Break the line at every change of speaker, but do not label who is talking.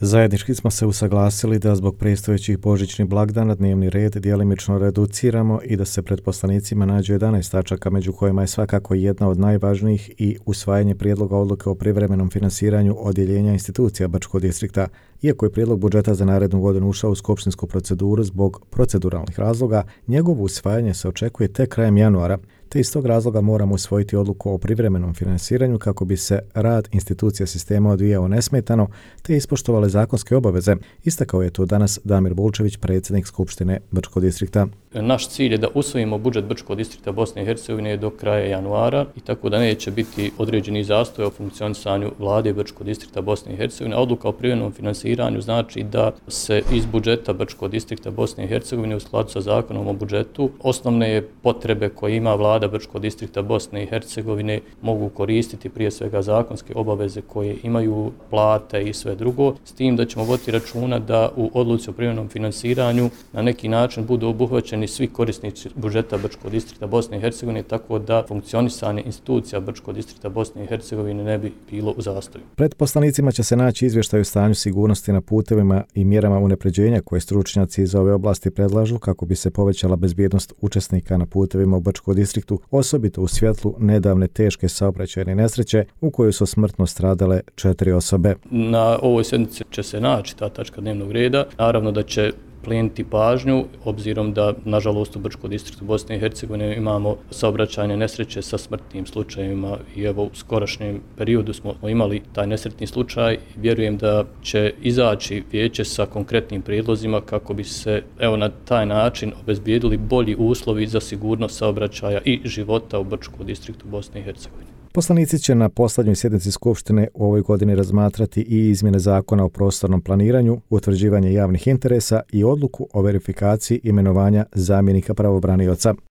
Zajednički smo se usaglasili da zbog predstojećih božićnih blagdana dnevni red djelimično reduciramo i da se pred poslanicima nađe 11 tačaka, među kojima je svakako jedna od najvažnijih i usvajanje prijedloga odluke o privremenom finansiranju odjeljenja institucija Brčkog distrikta. Iako je prijedlog budžeta za narednu godinu ušao u skupštinsku proceduru zbog proceduralnih razloga, njegovo usvajanje se očekuje tek krajem januara, te iz tog razloga moramo usvojiti odluku o privremenom finansiranju kako bi se rad institucija sistema odvijao nesmetano te ispoštovale zakonske obaveze, istakao je to danas Damir Bulčević, predsjednik Skupštine Brčkog distrikta.
Naš cilj je da usvojimo budžet Brčkog distrikta Bosne i Hercegovine do kraja januara i tako da neće biti određeni zastoj o funkcionisanju vlade Brčkog distrikta Bosne i Hercegovine. Odluka o privremenom finansiranju znači da se iz budžeta Brčkog distrikta Bosne i Hercegovine u skladu sa zakonom o budžetu osnovne potrebe koje ima vlada Brčkog distrikta Bosne i Hercegovine mogu koristiti, prije svega zakonske obaveze koje imaju, plate i sve drugo, s tim da ćemo voditi računa da u odluci o privremenom finansiranju na neki način budu obuhvaćeni svi korisnici budžeta Brčkog distrikta Bosne i Hercegovine, tako da funkcionisanje institucija Brčkog distrikta Bosne i Hercegovine ne bi bilo u zastoju.
Pred poslanicima će se naći izvještaj o stanju sigurnosti na putevima i mjerama unapređenja koje stručnjaci iz ove oblasti predlažu kako bi se povećala bezbjednost učesnika na putevima u Brčkom distriktu, osobito u svjetlu nedavne teške saobraćajne nesreće u kojoj su smrtno stradale 4 osobe.
Na ovoj sjednici će se naći ta tačka dnevnog reda. Naravno da će pleniti pažnju, obzirom da, nažalost, u Brčkom distriktu Bosne i Hercegovine imamo saobraćajne nesreće sa smrtnim slučajevima i evo u skorašnjem periodu smo imali taj nesretni slučaj. Vjerujem da će izaći vijeće sa konkretnim prijedlozima kako bi se na taj način obezbijedili bolji uslovi za sigurnost saobraćaja i života u Brčkom distriktu Bosne i Hercegovine.
Poslanici će na posljednjoj sjednici Skupštine u ovoj godini razmatrati i izmjene zakona o prostornom planiranju, utvrđivanje javnih interesa i odluku o verifikaciji imenovanja zamjenika pravobranioca.